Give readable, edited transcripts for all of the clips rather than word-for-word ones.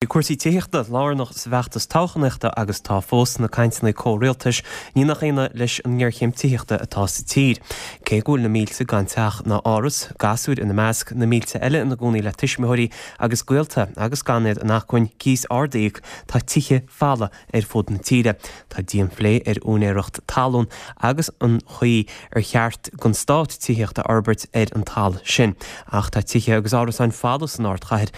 Bhí cúrsaí tithíochta lárnach sa bhfeachtas toghchánaíochta agus tá fós sna cainteanna comhrialtais, ní nach ionadh leis an ngéarchéim tithíochta atá sa tír. Cé go bhfuil na mílte gan teach ná áras, gasúir ina measc, na mílte eile ina gcónaí le tuismitheoirí agus gaolta agus gan iad in acmhainn cíos ard a íoc, tá tithe folamh ar fud na tíre. Tá dianphlé ar úinéireacht talún agus an chaoi ar cheart don stát tithíocht a fhorbairt ar an talamh sin. Ach tá tithe agus árasáin folamh san ardchathair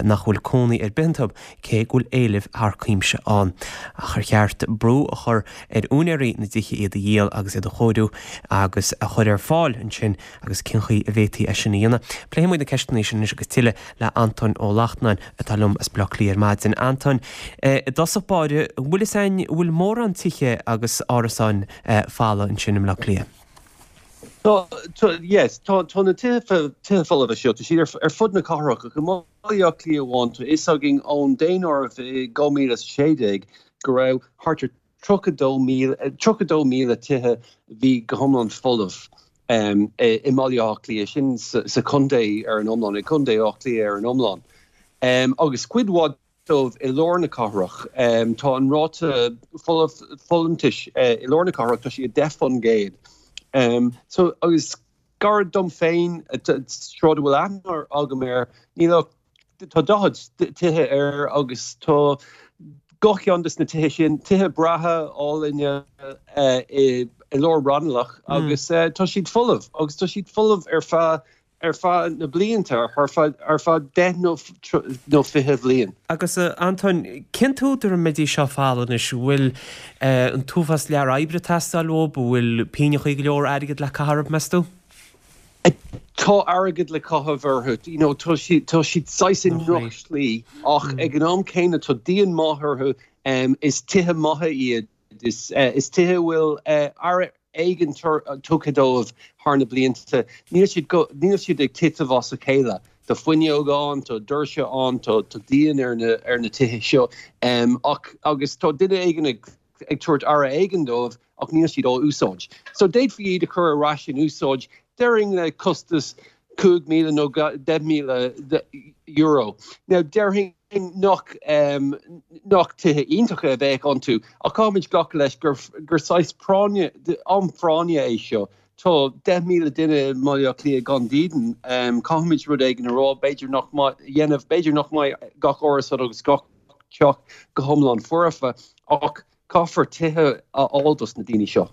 nach bhfuil cónaí ar bith iontu, cé go bhfuil éileamh thar cuimse ann. Ach ar cheart brú a chur ar úinéirí na dtithe iad a dhíol agus iad a chóiriú agus a chur ar fáil ansin agus cén chaoi a bhféadfaí é sin a dhéanamh? Pléifidh muid na ceisteanna sin anois agus tuilleadh le Antóin Ó Lachtnáin atá liom as Baile Átha Cliath ar maidin. Antóin, i dtosach báire, an bhfuil fhios a'inn, an bhfuil mórán tithe agus árasáin folamh ansin i mBleá Cliath? Tá, tá, yes, tá, tá na tithe, tithe folmha seo, tá siad ar, ar fud na cathrach ach i mBaile Átha Cliath amháin, tá fhios againn ón daonáireamh i 2016 go raibh thart ar 32,000, 32,000 tithe a bhí go hiomlán folamh i mBaile Átha Cliath, sin sa chontae ar an iomlán, i gContae Átha Cliath ar an iomlán. Agus cuid mhaith dóibh i lár na cathrach. Tá an ráta folúntais i lár na cathrach, tá sé 10%. So, agus gar dom féin, sráid a bhfuil aithne agam air, níl ach Tá 40 tithe air agus tá gach ceann de na tithe sin, tithe breátha álainne i lár Raghnallach agus tá siad folamh agus tá siad folamh ar feadh ar feadh na blianta, ar feadh ar feadh 10 nó nó 20 bhliain. Agus a Antóin, cén t-údar a mbeidís seo folamh anois? An bhfuil an t-uafás lear oibre ag teastáil uathu? An bhfuil pínneachaí go leor airgid le caitheamh orthu, meas tú? Tá airgead le caitheamh orthu, you know, tá siad, tá siad saghas i ndrochshlí ach ag an am céanna tá díon maith orthu, is tithe maithe iad, is, is tithe a bhfuil aire éigin tugtha dóibh thar na blianta, níl siad go, níl siad ag titim as a chéile. Tá fuinneog ann, tá doirse ann, tá, tá díon ar na, ar na tithe seo ach, agus tá duine éigin ag, ag tabhairt aire éigin dóibh ach níl siad á úsáid. So d'fhéadfaí iad a chur ar ais in úsáid, déarfainn le costas 5,000 nó €10,000. Now déarfainn nach nach tithe iontacha a bheadh iontu ach caithfimid glacadh leis gur gur saghas práinne, am práinne é seo. Tá 10,000 duine i mBaile Átha Cliath gan dídean. Caithfimid rud éigin a rá, b'fhéidir nach mbeidh, a dhéanamh, b'fhéidir nach mbeidh gach árasán agus gach teach go hiomlán foirfe, ach caithfear tithe a fháil dos na daoine seo.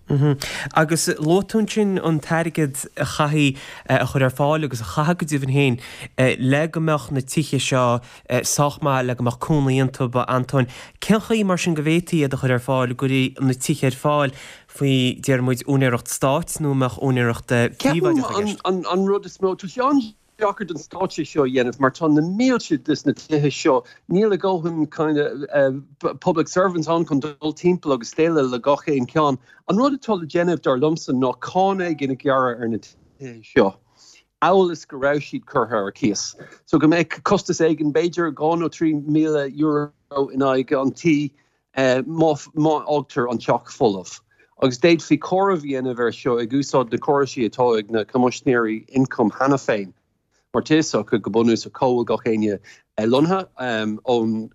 Agus luaigh tú ansin an t-airgead a chaithfí a chur ar fáil agus a chaithfeadh go deimhin féin le go mbeadh na tithe seo sách maith le go mbeadh cónaí iontu, a Antóin. Cén chaoi mar sin go bhféadfaí iad a chur ar fáil, go gcuirfí na tithe ar fáil faoi, déarfaidh muid, úinéireacht stáit nó an mbeadh úinéireacht phríobháideach i gceist? Ceapaim an rud is mó, tá sé an-deacair don stát é seo a dhéanamh mar tá na mílte des na tithe seo, níl a dhóthain kind of public servants ann chun dul timpeall agus déileáil le gach aon cheann. An rud atá le déanamh dar liomsa ná cáin éigin a ghearradh ar na tithe seo, amhail is go raibh siad curtha ar cíos. So go mbeadh costas éigin, b'fhéidir €2,000 nó €3,000 in aghaidh an tí má fhágtar an teach folamh. Agus d'fhéadfaí comhaireamh a dhéanamh air seo ag úsáid na córaisí atá ag na Coimisinéirí Ioncaim cheana féin, mar tá fhios acu go bunúsach cá bhfuil gach éinne lonnaithe ón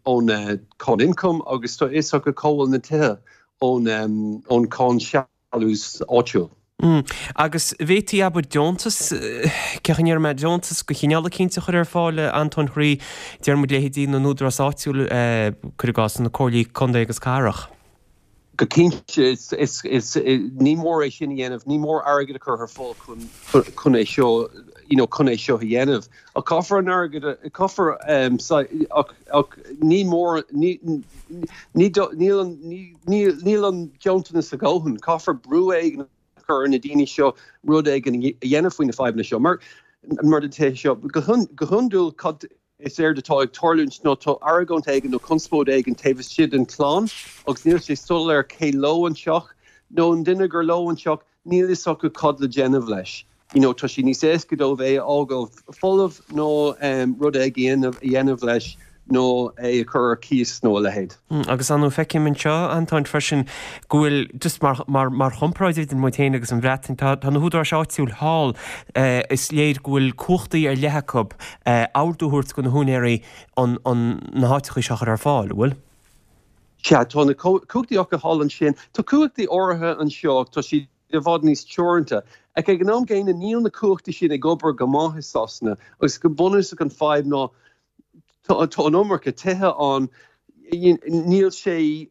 cháin ioncaim agus tá fhios acu cá bhfuil na tithe ón cháin sealús áitiúil. Agus bhféadfaí, abair, deontas, cén chaoi a ndéarfaidh mé, deontas de chineál eicínt a chur ar fáil, a Antóin thrí, déarfaidh muid, leithéidí na n-údarás áitiúil, cuir i gcás, na comhairlí contae agus cathrach. Go cinnte, is, is, ní mór é sin a dhéanamh, ní mór airgead a chur ar fáil chun, chun é seo, you know, chun é seo a dhéanamh. Ach caithfear an airgead a, caithfear, ach, ach ní mór, ní, ní, níl an, ní, Níl an deontas a dhóthain. Caithfear brú éigin a chur ar na daoine seo rud éigin a dhéanamh faoi na fadhbanna seo. Mar mar na tithe seo, go hiondúil cad is éard atá ag tarlúint ná tá argóint éigin nó conspóid éigin taobh istigh den chlann agus níl sé soiléir cé leo an teach nó an duine gur leo an teach, níl fhios acu cad le déanamh leis. You know, tá sé níos éasca dóibh é a fhágáil folamh nó rud éigin a dhéanamh leis. nó é a chur ar cíos nó a leithéid. Agus ar ndóigh feicim anseo, Antóin, freisin go bhfuil, just mar, mar, mar chomparáid idir muid féin agus an Bhreatain, tá, tá na húdaráis áitiúil thall, is léir go bhfuil cumhachtaí ar leith acu ordú a thabhairt do na húinéirí an, an, na háiteachaí seo a chur ar fáil, an bhfuil? Sea, tá na cumhachtaí acu thall ansin. Tá cumhachtaí áirithe anseo ach tá siad i bhfad níos teoranta. Ach ag an am gcéanna níl na cumhachtaí sin ag obair go maith i Sasana agus go bunúsach an fadhb ná tá an iomarca tithe ann, níl sé,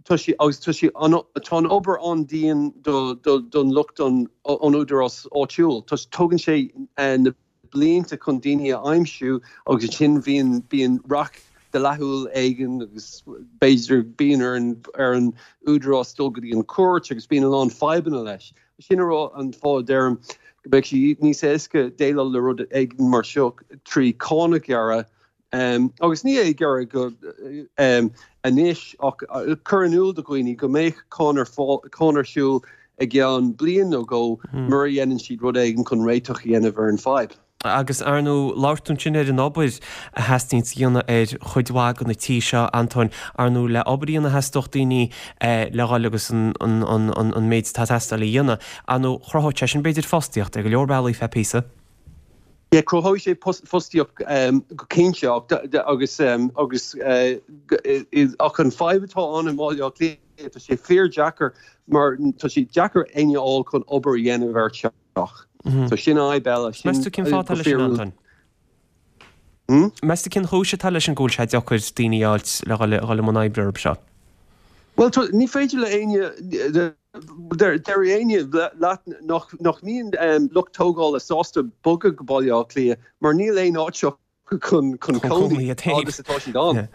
tá sé, agus tá sé, tá an obair an-dian don lucht an údarás áitiúil. Tá, tógann sé na blianta chun daoine a aimsiú agus ansin bhíonn, bíonn raic dlíthiúil éigin agus b'fhéidir bíonn ar an, ar an údarás dul go dtí an chúirt agus bíonn a lán fadhbanna leis. Sin a rá an fáth a deirim go mbeadh sé níos éasca déileáil le rud éigin mar seo trí cáin a ghearradh, agus ní é gearradh go anois ach cur in iúl do dhaoine go mbeadh cáin ar fáil, cáin ar siúl i gceann bliain nó dhó mura dhéanann siad rud éigin chun réiteach a dhéanamh ar an fadhb. Agus ar ndóigh, labhair tú ansin ar an obair a theastaíonns a dhéanamh ar chuid mhaith de na tithe seo, Antóin. Ar ndóigh, le obair a dhéanamh theastódh daoine le dhul agus an méid atá ag teastáil a dhéanamh. Ar ndóigh, chruthódh sé sin b'fhéidir fostaíocht ar go leor bealaí feadh píosa. Yeah, cruthóidh sé fostaíocht go cinnte agus agus ach an fadhb atá ann i mBaile Átha Cliath, tá sé fíor-deacair mar tá sé deacair éinne a fháil chun obair a dhéanamh ar teach. So sin fhadhb eile. Sin Meas tú cén fáth atá leis sin, Antoin? Meas tú cén chúis atá leis sin go bhfuil sé deacair daoine a fháilt le dhul i mbun oibre orthu seo? Bhuel, tá, ní féidir le éinne, deir éinne leat nach, nach mbíonn lucht tógála sásta bogadh go Baile Átha Cliath mar níl aon áit acu chun, chun cónaí agus atá siad ann.